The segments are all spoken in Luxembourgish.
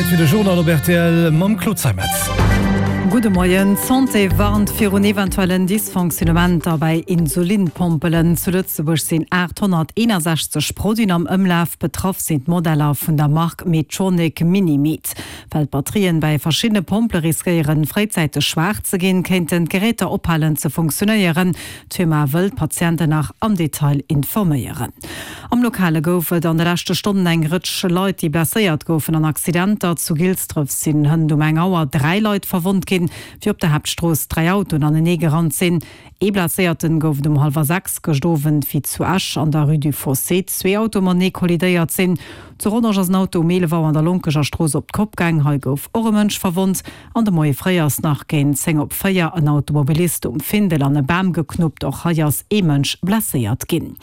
Zäit fir de Journal op rtl mam Claude Zeimetz. Gudde Moien. D'Santé warnt virun eventuellen Dysfonctionnementer bei Insulinpompelen. Zu Lëtzebuerg sinn 861 Produiten am Ëmlaf. Betraff sinn d'Modeller vun der Mark Medtronic Minimed. Well d'Batterien bäi verschiddene Pompele riskéieren, fréizäiteg schwaach ze ginn, kéinten d'Geräter ophalen ze funktionéieren. D'Firma wëll d'Patienten nach am Detail informéieren. Am Lokale gouf et an de leschte Stonnen eng Rëtsch Leit, déi blesséiert goufen an Accidenter. Zu Gilsdref sinn hënt um eng Auer 3 Leit verwonnt ginn, wéi op der Haaptstrooss 3 Autoen anenee gerannt sinn. Ee Blesséierten gouf et um hallwer 6 gëscht Owend, wéi zu Esch an der Rue du Fossé zwee Autoe matenee kollidéiert sinn. Zu Rodange ass en Auto um 11 Auer an der Lonkeger Strooss op d'Kopp gaang. Hei gouf och e Mënsch verwonnt. An de Moie fréi ass nach géint 10 op 4 en Automobilist um Findel an e Bam geknuppt. Och hei ass ee Mënsch blesséiert ginn.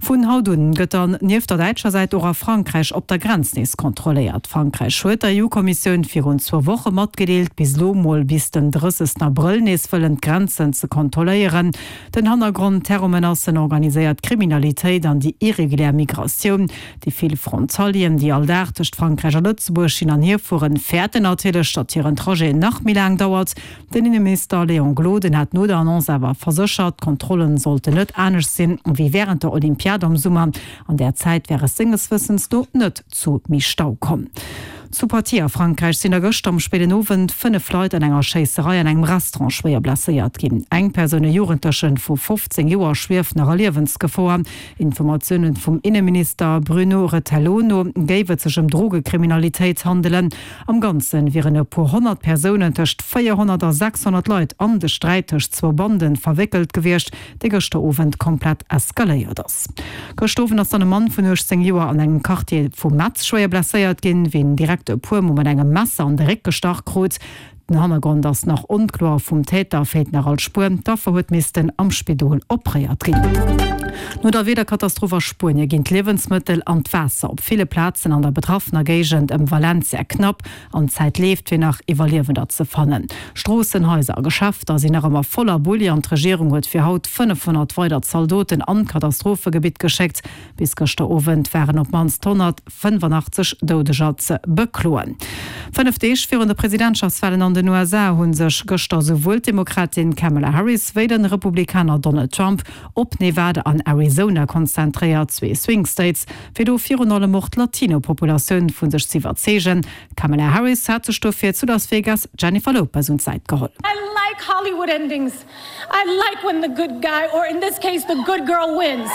Vun haut un gëtt dann nieft der däitscher Säit och a Frankräich op der Grenz nees kontrolléiert. Frankräich huet der EU-Kommissioun virun zwou Woche matgedeelt, bis elo mol bis den 30 Abrëll nees wëllen d'Grenzen ze kontrolléieren. Den Hannergrond, Terrormenacen, organiséiert Kriminalitéit an déi irregulär Migratioun. Déi vill Frontalieren, déi all Dag tëscht Frankräich a Lëtzebuerg hin an hier fueren, fäerten natierlech, datt hiren Trajet nach méi laang dauert. Den Inneminister Léon Gloden hat no der Annonce awer verséchert, d'Kontrollen sollten net anescht sinn, wéi wärend der Olympiad am Summer. An där Zäit wär es senges Wëssens no net zu méi Stau komm. Zu Poitiers a Frankräich sinn der gëschter am spéiden Owend 5 Leit an enger Schéisserei an engem Restaurant schwéier blesséiert ginn. Eng Persoun, e Jugendlechen vu 15 Joer, schwieft nach a Liewensgefor. Informatioune vum Inneminister Bruno Retailleau no géif et sech ëm Drogekriminalitéit handelen. Am Ganze wieren e puer 100 Persounen, tëscht 400 a 600 Leit, an de Sträit tëscht zwou Bande verwéckelt gewiescht, dee gëschter Owend komplett eskaléiert ass. Gëschter Owend ass dann e Mann vun 18 Joer an engem Quartier vu Metz schwéier blesséiert ginn, wéi en direkt e puer Mol mat engem Messer an de Réck gestach krut. Den Hannergrond ass nach onkloer, vum Täter feelt nach all Spuer. D'Affer huet missten am Spidol opréiert ginn. No der Wiederkatastroph a Spuenie ginn d'Liewensmëttel an d'Waasser op ville Plazen an der betraffener Géigend ëm Valencia knapp an d'Zäit leeft, fir nach Iwwerliewender ze fannen. Stroossen, Haiser a Geschäfter sinn nach ëmmer voller Bulli an d'Regierung huet fir haut 500 weider Zaldoten an d'Katastrophegebitt geschéckt. Bis gëschter Owend waren op d'mannst 185 Doudeger ze bekloen. 5 Deeg virun de Presidentschaftswalen an den USA hu sech gëschter souwuel d'Demokratin Kamala Harris wéi de Republikaner Donald Trump op Nevada an Arizona konzentréiert, zwee Swing States, fir do virun allem och d'Latino-Populatioun vu sech z'iwwerzeegen. D'Kamala Harris hat sech dofir zu Las Vegas d'Jennifer Lopez un d'Säit geholl. I like Hollywood endings. I like when the good guy, or in this case the good girl wins.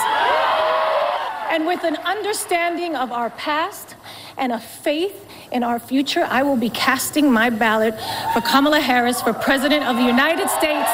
And with an understanding of our past and a faith in our future, I will be casting my ballot for Kamala Harris for President of the United States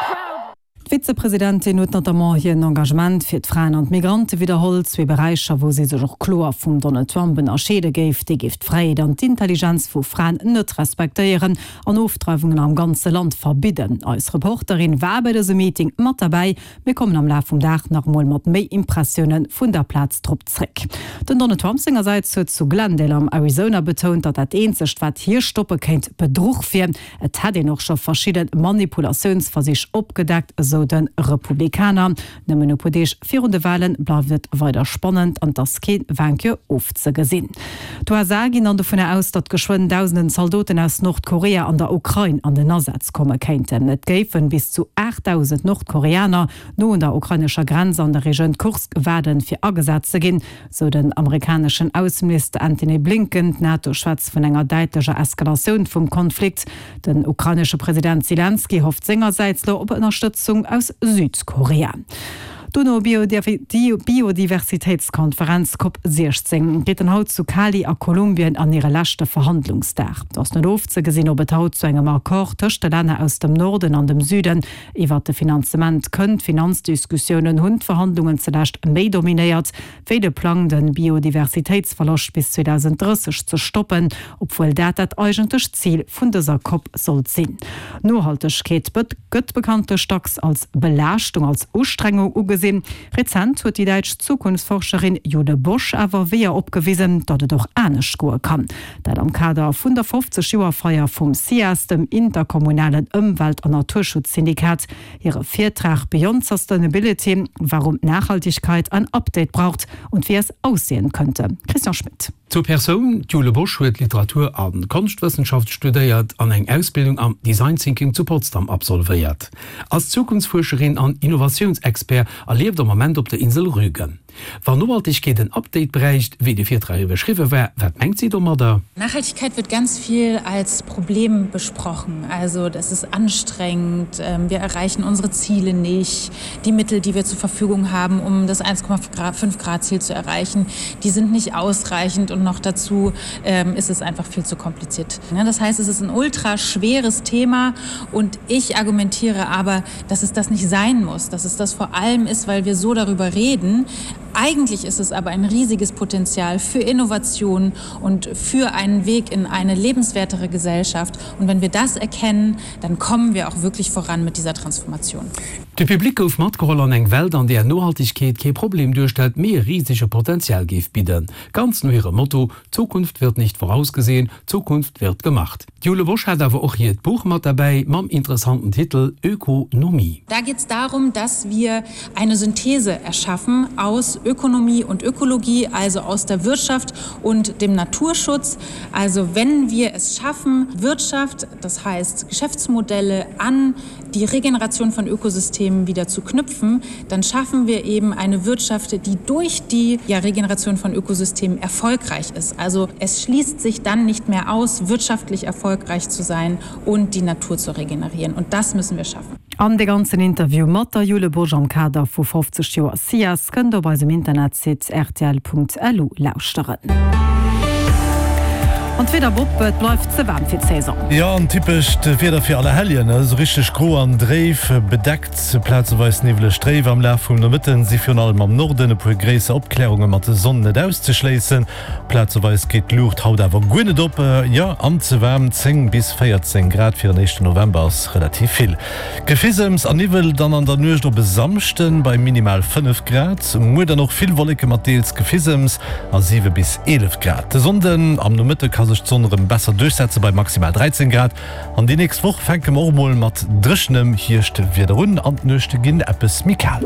proudly. D'Vizepresidentin huet notamment hiren Engagement fir d'Fraen an d'Migrante widderholl, zwee Beräicher, wou si sech och kloer vum Donald Trump ënnerscheede géif. Dee géif d'Fräiheet an d'Intelligenz vu Fraen net respektéieren an Ofdreiwungen am ganze Land verbidden. Eis Reporterin war bei dësem Meeting mat derbäi. Mir kommen am Laf vum Dag nach emol mat méi Impressioune vun der Plaz drop zréck. Den Donald Trump sengersäits huet zu Glendale am Arizona betount, datt dat eenzegt wat hie stoppe kéint, Bedruch wier. Et hätt een och scho verschidde Manipulatiounsversich opgedeckt, esou de Republikaner. Nëmmen e puer Deeg virun de Walen bleift et weider spannend an et ass kee Vainqueur ofzegesinn. D'USA ginn dann dovunner aus, datt geschwënn dausenden Zaldoten aus Nordkorea an der Ukrain an den Asaz komme kéinten. Et géifen bis zu 8.000 Nordkoreaner no un der ukrainescher Grenz an der Regioun Kursk waarden, fir agesat ze ginn, sou den amerikaneschen Ausseminister Antony Blinken. D'NATO schwätzt vun enger däitlecher Eskalatioun vum Konflikt. Den ukrainesche President Selenskyj hofft sengersäits lo op Ënnerstëtzung aus Südkorea. D'UNO-Biodiversitéitskonferenz Cop 16 geet dann haut zu Cali a Kolumbien an hire leschte Verhandlungsdag. Et ass net ofzegesinn, ob et haut zu engem Accord tëscht de Länner aus dem Norden an dem Süden iwwert de Finanzement kënnt. D'Finanzdiskussiounen hunn d'Verhandlungen zelescht méi dominéiert. wéi de Plang de Biodiversitéitsverloscht bis 2030 ze stoppen, obwuel dat dat eigentlecht Zil vun dëser Cop sollt sinn. Nohaltegkeet gëtt bekanntlech dacks als Belaaschtung, als Ustrengung ugesinn. Rezent huet déi däitsch Zukunftsforscherin Jule Bosch awer Weeër opgewisen, datt et och anescht goe kann. Dat am Kader vun der 50 Joer Feier vum SIAS, dem interkommunalen Ëmwelt an Naturschutzsyndikat. Hire Virtrag Beyond Sustainability, Warum Nachhaltigkeit ein Update braucht und wie es aussehen könnte. Christian Schmit. Zur Persoun, D'Jule Bosch huet Literatur a Konschtwëssenschaft studéiert an eng Ausbildung am Design Thinking zu Potsdam absolvéiert. Ass Zukunftsfuerscherin an Innovatiounsexpert a lieft am Ament op der Insel Rügen. Wann Nohaltegkeet en Update bräicht, wéi de Virtrag iwwerschriwwe war, wat mengt si domadder? Nachhaltigkeit wird ganz viel als Problem besprochen. Also das ist anstrengend, wir erreichen unsere Ziele nicht, die Mittel, die wir zur Verfügung haben, um das 1,5 Grad Ziel zu erreichen, die sind nicht ausreichend und noch dazu ist es einfach viel zu kompliziert. Das heißt, es ist ein ultra schweres Thema und ich argumentiere aber, dass es das nicht sein muss, dass es das vor allem ist, weil wir so darüber reden. Eigentlich ist es aber ein riesiges Potenzial für Innovation und für einen Weg in eine lebenswertere Gesellschaft. Und wenn wir das erkennen, dann kommen wir auch wirklich voran mit dieser Transformation. De Public gouf matgeholl an eng Welt, an där Nohaltegkeet kee Problem duerstellt, mee e risege Potenzial géif bidden. Ganz no hirem Motto, Zukunft wird nicht vorausgesehen, Zukunft wird gemacht. D'Jule Bosch hat awer och hiert Buch mat derbäi mam interessanten Titel Ökonomie. Da geht es darum, dass wir eine Synthese erschaffen aus Ökonomie und Ökologie, also aus der Wirtschaft und dem Naturschutz. Also wenn wir es schaffen, Wirtschaft, das heißt Geschäftsmodelle an die Regeneration von Ökosystemen wieder zu knüpfen, dann schaffen wir eben eine Wirtschaft, die durch die ja, Regeneration von Ökosystemen erfolgreich ist. Also es schließt sich dann nicht mehr aus, wirtschaftlich erfolgreich zu sein und die Natur zu regenerieren. Und das müssen wir schaffen. An de ganzen Interview mat der Jule Bosch am Kader vu 50 Joer SIAS kënnt der op eisem Internetsite rtl.lu lauschteren. An d'Wieder Bob, et bleift ze waarm fir d'Saison. Jo, an typescht Wieder fir Allerhelljen, esou richteg gro an dréif, bedeckt, plazeweis niwweleg dréif. Am Laf vum Nomëtten si virun allem am Norden e puer gréisser Opklärunge mat der Sonn net auszeschléissen. Plazeweis geet d'Luucht haut awer guer net op. Jo, an ze waarm, 10 bis 14 Grad fir en éischten November ass relativ vill. Gefisems a Niwwel dann an der Nuecht op e Samschden bei minimal 5 Grad. Muer dann och vill Wolleke mat deels Gefisems a 7 bis 11 Grad. De Sonnden am Nomëtte ka sech d'Sonn erëm besser duerchsetze bei maximal 13 Grad. An déi nächst Woch fänke mer och mol mat dréchenem Hierschtwieder un an d'Nuechte ginn eppes méi kal.